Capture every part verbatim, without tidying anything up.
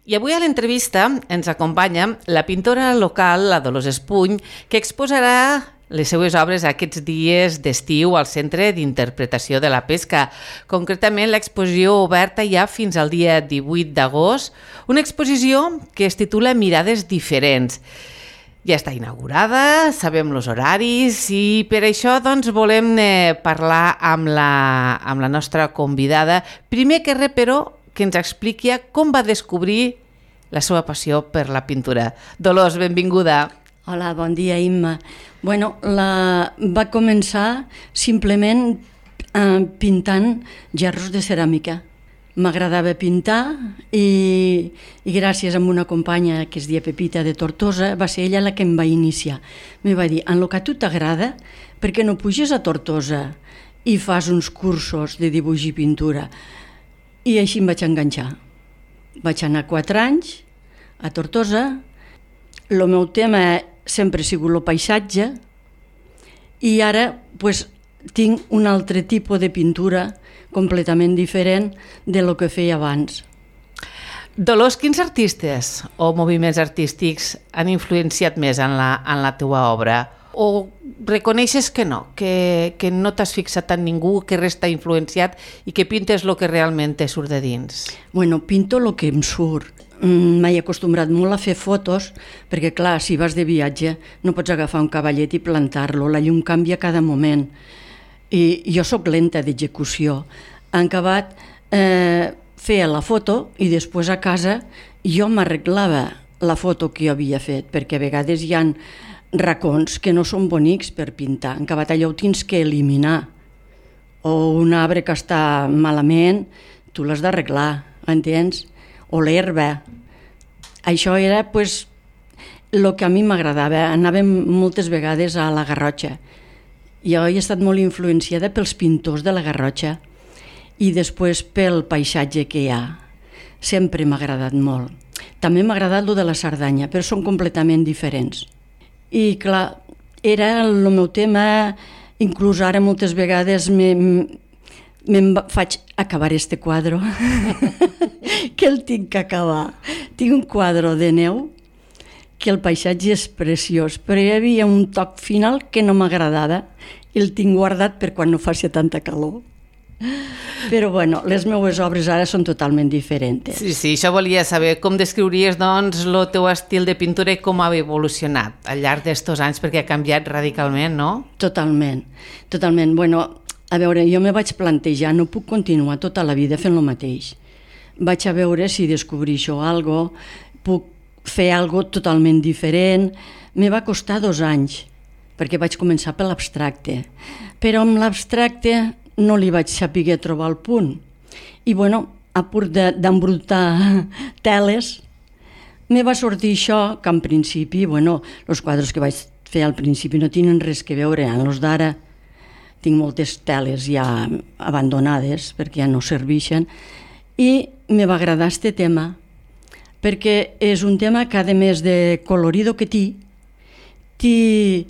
I avui a l'entrevista ens acompanya la pintora local, la Dolors Espuny, que exposarà les seues obres aquests dies d'estiu al Centre d'Interpretació de la Pesca. Concretament, l'exposició oberta ja fins al dia divuit d'agost, una exposició que es titula Mirades diferents. Ja està inaugurada, sabem els horaris i per això doncs, volem eh, parlar amb la, amb la nostra convidada. Primer que res, però, que ens expliqui com va descobrir la seva passió per la pintura. Dolors, benvinguda. Hola, bon dia, Imma. Bueno, la... va començar simplement eh, pintant gerros de ceràmica. M'agradava pintar i, i gràcies a una companya que es deia Pepita de Tortosa, va ser ella la que em va iniciar. Me va dir, en el que a tu t'agrada, per què no puges a Tortosa i fas uns cursos de dibuix i pintura? I així em vaig enganxar. Vaig anar quatre anys a Tortosa. El meu tema sempre ha sigut el paisatge i ara pues, tinc un altre tipus de pintura completament diferent de lo que feia abans. Dolors, quins artistes o moviments artístics han influenciat més en la, en la teua obra? O reconeixes que no, que, que no t'has fixat en ningú, que res t'ha influenciat i que pintes el que realment te surt de dins? Bueno, pinto el que em surt. M'he acostumbrat molt a fer fotos, perquè clar, si vas de viatge no pots agafar un cavallet i plantar-lo, la llum canvia cada moment. I jo sóc lenta d'execució. En acabat, eh, feia la foto i després a casa jo m'arreglava la foto que jo havia fet, perquè a vegades hi ha racons que no són bonics per pintar. En acabat allò ho tens que eliminar. O un arbre que està malament, tu l'has d'arreglar, entens? O l'herba. Això era pues, el que a mi m'agradava. Anàvem moltes vegades a la Garrotxa. Jo he estat molt influenciada pels pintors de la Garrotxa i després pel paisatge que hi ha. Sempre m'ha agradat molt. També m'ha agradat el de la Cerdanya, però són completament diferents. I clar, era el meu tema, inclús ara moltes vegades me'n me faig acabar este quadre, que el tinc que acabar. Tinc un quadre de neu que el paisatge és preciós, però hi havia un toc final que no m'agradava i el tinc guardat per quan no faci tanta calor. Però bueno, les meues obres ara són totalment diferents. Sí, sí, això volia saber. Com descriuries doncs el teu estil de pintura i com ha evolucionat al llarg d'estos anys, perquè ha canviat radicalment, no? Totalment, totalment. Bueno, a veure, jo me vaig plantejar, no puc continuar tota la vida fent el mateix. Vaig a veure si descobreixo alguna cosa, puc fer alguna cosa totalment diferent. Me va costar dos anys, perquè vaig començar per l'abstracte. Però amb l'abstracte no li vaig saber trobar el punt. I bueno, a punt d'embrutar teles, me va sortir això, que en principi, bueno, els quadres que vaig fer al principi no tenen res que veure amb els d'ara. Tinc moltes teles ja abandonades perquè ja no serveixen i me va agradar este tema perquè és un tema que a més de colorido que té, té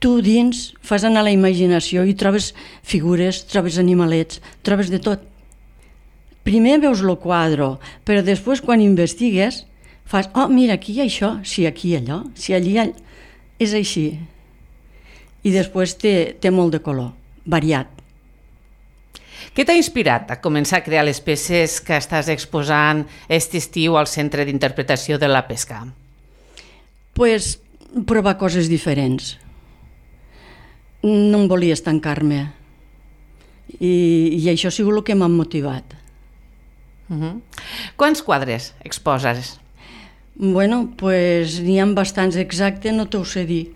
tu dins fas anar la imaginació i trobes figures, trobes animalets, trobes de tot. Primer veus el quadre, però després quan investigues fas, oh, mira, aquí hi ha això, si aquí hi ha allò, si allí hi ha... És així. I després té, té molt de color, variat. Què t'ha inspirat a començar a crear les peces que estàs exposant aquest estiu al Centre d'Interpretació de la Pesca? Pues provar coses diferents. No em volia estancar-me I, i això ha sigut el que m'ha motivat. Uh-huh. Quants quadres exposes? Bueno, pues n'hi ha bastants, exacte, no t'ho sé dir.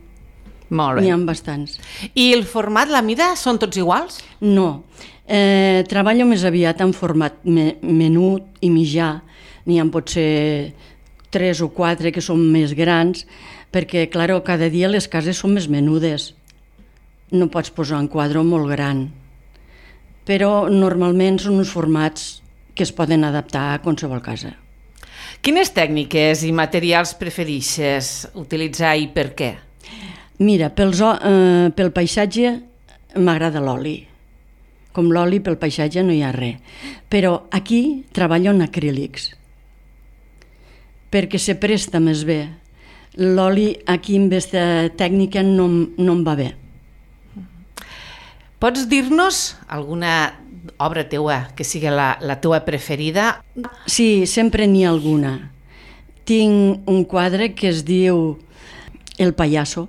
Molt bé. N'hi ha bastants. I el format, la mida, són tots iguals? No, eh, treballo més aviat en format me, menut i mitjà. N'hi ha potser tres o quatre que són més grans, perquè, clar, cada dia les cases són més menudes. No pots posar un quadre molt gran, però normalment són uns formats que es poden adaptar a qualsevol casa. Quines tècniques i materials prefereixes utilitzar i per què? Mira, pels, eh, pel paisatge m'agrada l'oli. Com l'oli, pel paisatge no hi ha res. Però aquí treballo en acrílics. perquè se presta més bé. L'oli aquí amb aquesta tècnica no, no em va bé. Pots dir-nos alguna obra teua que sigui la, la teua preferida? Sí, sempre n'hi ha alguna. Tinc un quadre que es diu El pallasso,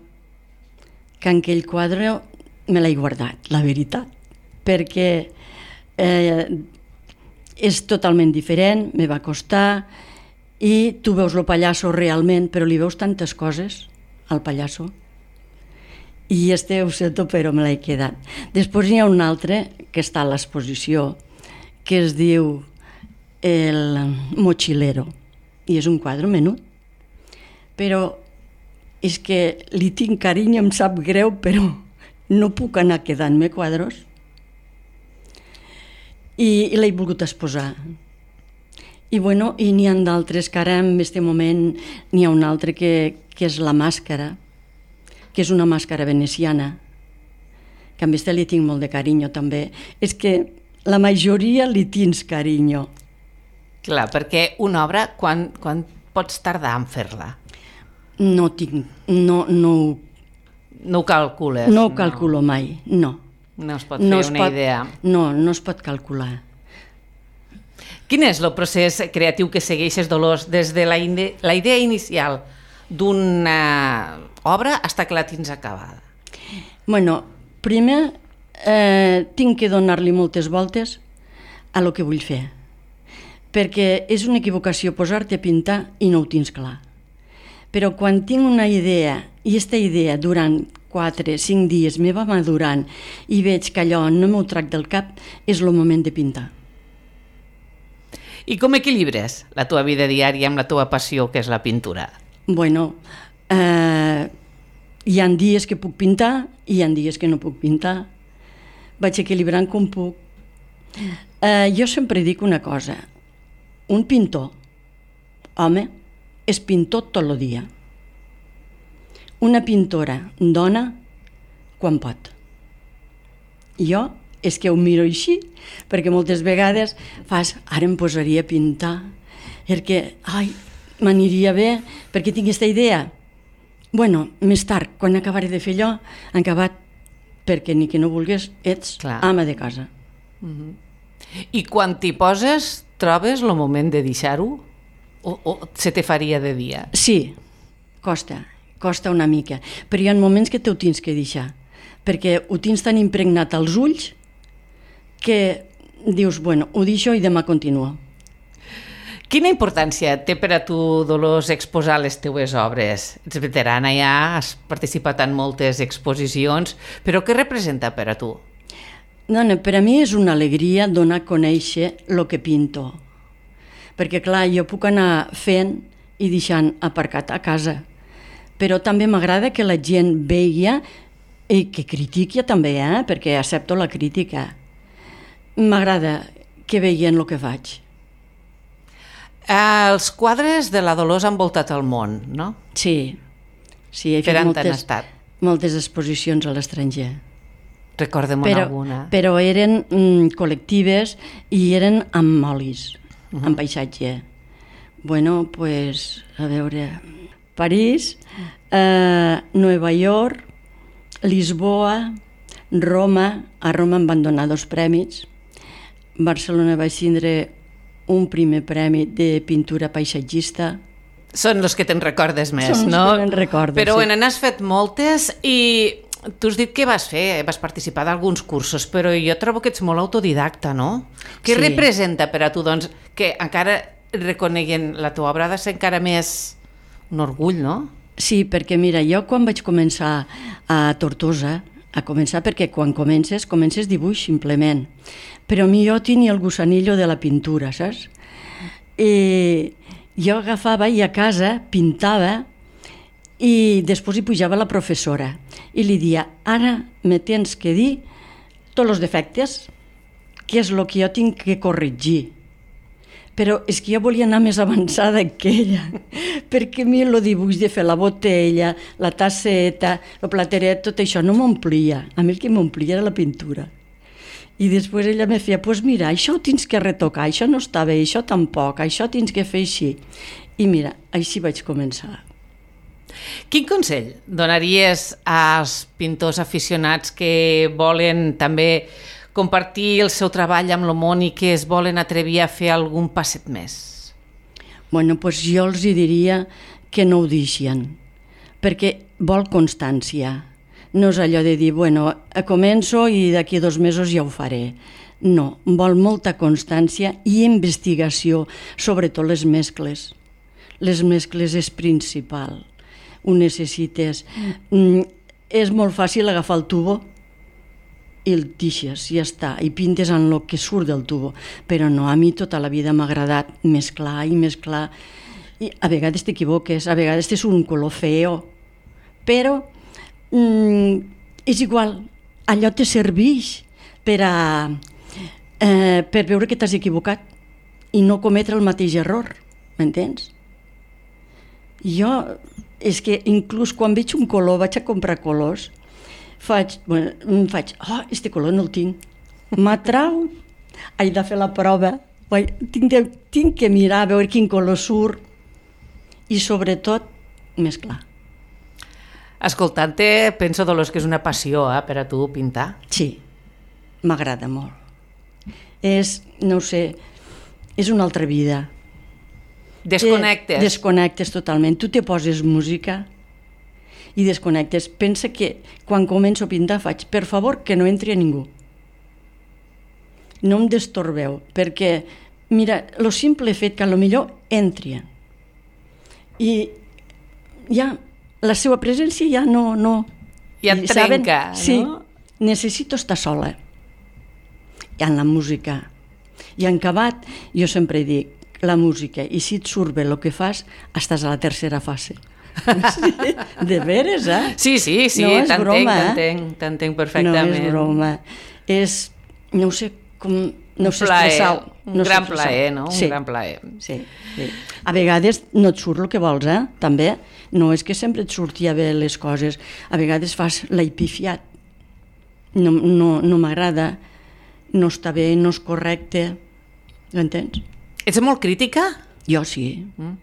que en aquell quadre me l'he guardat, la veritat, perquè eh, és totalment diferent, me va costar, i tu veus el pallasso realment, però li veus tantes coses al pallasso, i este ho sento, però me l'he quedat. Després n'hi ha un altre que està a l'exposició, que es diu El mochilero, i és un quadre menut, però és que li tinc carinyo, em sap greu, però no puc anar quedant-me quadros, i, i l'he volgut exposar. I, bueno, i n'hi ha d'altres que ara en aquest moment n'hi ha un altre que, que és la màscara, que és una màscara veneciana, que a aquesta li tinc molt de carinyo també. És que la majoria li tens carinyo. Clar, perquè una obra, quan, quan pots tardar en fer-la? No tinc, no, no, no ho calcules? No ho calculo no. mai, no. No es pot fer no una pot, idea? No, no es pot calcular. Quin és el procés creatiu que segueixes, Dolors, des de la, ide la idea inicial d'una obra fins que la tens acabada? Bueno, primer eh, tinc que donar-li moltes voltes a lo que vull fer, perquè és una equivocació posar-te a pintar i no ho tens clar. Però quan tinc una idea, i aquesta idea durant quatre, cinc dies me va madurant i veig que allò no m'ho trac del cap, és el moment de pintar. I com equilibres la teva vida diària amb la teva passió, que és la pintura? Bueno, eh, hi ha dies que puc pintar i hi ha dies que no puc pintar. Vaig equilibrant com puc. Eh, jo sempre dic una cosa. Un pintor, home, és pintor tot el dia. Una pintora, dona, quan pot. Jo és que ho miro així, perquè moltes vegades fas, ara em posaria a pintar, perquè, ai, m'aniria bé, perquè tinc aquesta idea. Bueno, més tard, quan acabaré de fer allò, han acabat, perquè ni que no vulguis, ets Clar. ama de casa. Uh-huh. I quan t'hi poses, trobes el moment de deixar-ho? O, o se te faria de dia? Sí, costa, costa una mica, però hi ha moments que t'ho tens que deixar, perquè ho tens tan impregnat als ulls que dius, bueno, ho deixo i demà continuo. Quina importància té per a tu, Dolors, exposar les teues obres? Ets veterana ja, has participat en moltes exposicions, però què representa per a tu? Dona, per a mi és una alegria donar a conèixer el que pinto. Perquè, clar, jo puc anar fent i deixant aparcat a casa, però també m'agrada que la gent veia i que critiqui també, eh? Perquè accepto la crítica. M'agrada que veien el que faig. Eh, els quadres de la Dolors han voltat el món, no? Sí, sí, he per fet on moltes, estat? moltes exposicions a l'estranger. Recordem però, alguna. Però eren mm, col·lectives i eren amb olis, uh-huh. amb paisatge. Bueno, pues, a veure, París, eh, Nova York, Lisboa, Roma. A Roma em van donar dos premis. Barcelona vaig tindre un primer premi de pintura paisatgista. Són els que te'n recordes més, Són no? els que me'n recordo, Però sí. bueno, n'has fet moltes i tu has dit que vas fer, vas participar d'alguns cursos, però jo trobo que ets molt autodidacta, no? Què Sí. representa per a tu, doncs, que encara reconeguen la teva obra ha de ser encara més un orgull, no? Sí, perquè mira, jo quan vaig començar a Tortosa, a començar perquè quan comences, comences dibuix simplement, però a mi jo tenia el gusanillo de la pintura, saps? I jo agafava i a casa pintava i després hi pujava la professora i li dia, ara me tens que dir tots els defectes, que és el que jo tinc que corregir. Però és que jo volia anar més avançada que ella, perquè a mi el dibuix de fer la botella, la tasseta, el plateret, tot això no m'omplia. A mi el que m'omplia era la pintura. I després ella me feia, doncs pues mira, això ho tens que retocar, això no està bé, això tampoc, això tens que fer així. I mira, així vaig començar. Quin consell donaries als pintors aficionats que volen també compartir el seu treball amb el món i que es volen atrevir a fer algun passet més? Bueno, doncs jo els diria que no ho deixen, perquè vol constància. No és allò de dir, bueno, començo i d'aquí dos mesos ja ho faré. No, vol molta constància i investigació, sobretot les mescles. Les mescles és principal. Ho necessites. Mm, és molt fàcil agafar el tubo i el deixes, ja està, i pintes en el que surt del tubo. Però no, a mi tota la vida m'ha agradat mesclar i mesclar. I a vegades t'equivoques, a vegades és un color feo, però mm, és igual, allò te serveix per a eh, per veure que t'has equivocat i no cometre el mateix error, m'entens? Jo, és que inclús quan veig un color, vaig a comprar colors, faig, bueno, faig, oh, este color no el tinc, m'atrau, haig de fer la prova, tinc, de, tinc que mirar a veure quin color surt i sobretot mesclar. Escoltant-te, penso, Dolors, que és una passió eh, per a tu pintar. Sí, m'agrada molt. És, no ho sé, és una altra vida. Desconnectes. Eh, desconnectes totalment. Tu te poses música i desconnectes. Pensa que quan començo a pintar faig, per favor, que no entri a ningú. No em destorbeu, perquè, mira, lo simple fet que a lo millor entrien. I ja, la seva presència ja no... no ja et trenca, no? Sí, necessito estar sola. I en la música. I en acabat, jo sempre dic, la música, i si et surt bé el que fas, estàs a la tercera fase. Sí, de veres, eh? Sí, sí, sí, no t'entenc, t'entenc, t'entenc perfectament. No és broma. És, no ho sé, com... No sé expressar-ho. Un gran plaer, no? Un gran plaer. Sí, sí. A vegades no et surt el que vols, eh? També. No és que sempre et surtia bé les coses. A vegades fas l'aipifiat. No, no, no m'agrada, no està bé, no és correcte. Ho entens? Ets molt crítica? Jo sí. Mm.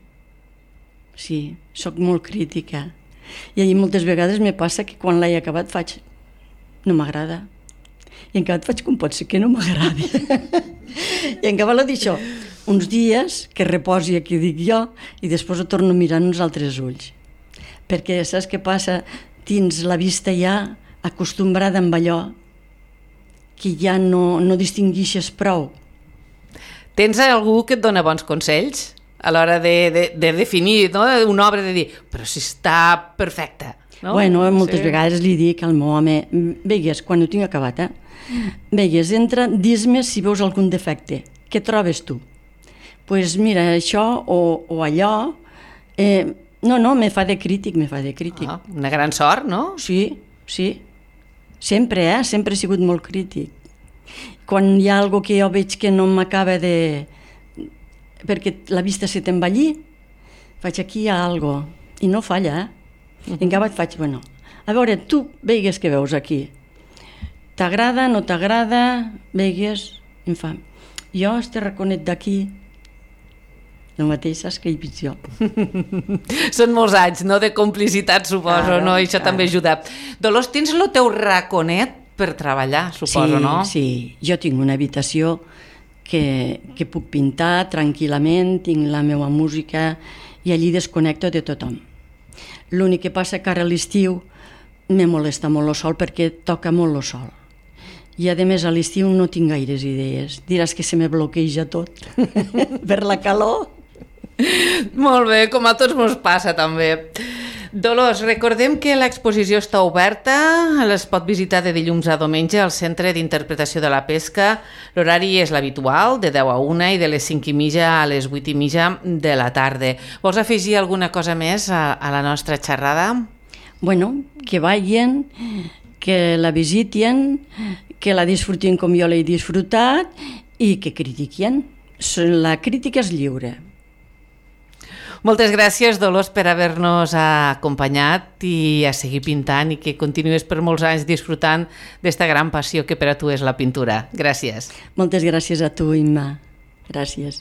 Sí, sóc molt crítica. I moltes vegades me passa que quan l'he acabat faig... No m'agrada. I en acabat faig com pot ser que no m'agradi. I en acabat d'això, uns dies que reposi aquí dic jo i després ho torno a mirar en uns altres ulls. Perquè saps què passa? Tens la vista ja acostumbrada amb allò que ja no, no distinguixes prou. Tens algú que et dona bons consells a l'hora de, de, de definir, no? Una obra, de dir, però si està perfecta. No? Bueno, moltes sí. vegades li dic al meu home, veigues, quan ho tinc acabat, eh? Veigues, entra, dis-me si veus algun defecte. Què trobes tu? Doncs pues mira, això o, o allò... Eh, no, no, me fa de crític, me fa de crític. Ah, una gran sort, no? Sí, sí. Sempre, eh? Sempre he sigut molt crític. Quan hi ha alguna que jo veig que no m'acaba de... perquè la vista se t'envellir, faig aquí hi ha alguna cosa. I no falla, eh? Uh-huh. I en acabat faig, bueno, a veure, tu veigues què veus aquí. T'agrada, no t'agrada, veigues, em fa, jo este raconet d'aquí, el mateix saps que hi veig jo. Són molts anys, no?, de complicitat, suposo, claro, no? I això claro. També ajuda. Dolors, tens el teu raconet per treballar, suposo, sí, no? Sí, jo tinc una habitació que, que puc pintar tranquil·lament, tinc la meva música i allí desconnecto de tothom. L'únic que passa que ara a l'estiu me molesta molt el sol perquè toca molt el sol. I a més a l'estiu no tinc gaires idees. Diràs que se me bloqueja tot per la calor. Molt bé, com a tots mos passa també. Dolors, recordem que l'exposició està oberta, es pot visitar de dilluns a diumenge al Centre d'Interpretació de la Pesca. L'horari és l'habitual, de deu a una i de les cinc i mitja a les vuit i mitja de la tarda. Vols afegir alguna cosa més a, a la nostra xerrada? Bueno, que vagin, que la visiten, que la disfrutin com jo l'he disfrutat i que critiquin. La crítica és lliure. Moltes gràcies, Dolors, per haver-nos acompanyat i a seguir pintant i que continuïs per molts anys disfrutant d'esta gran passió que per a tu és la pintura. Gràcies. Moltes gràcies a tu, Imma. Gràcies.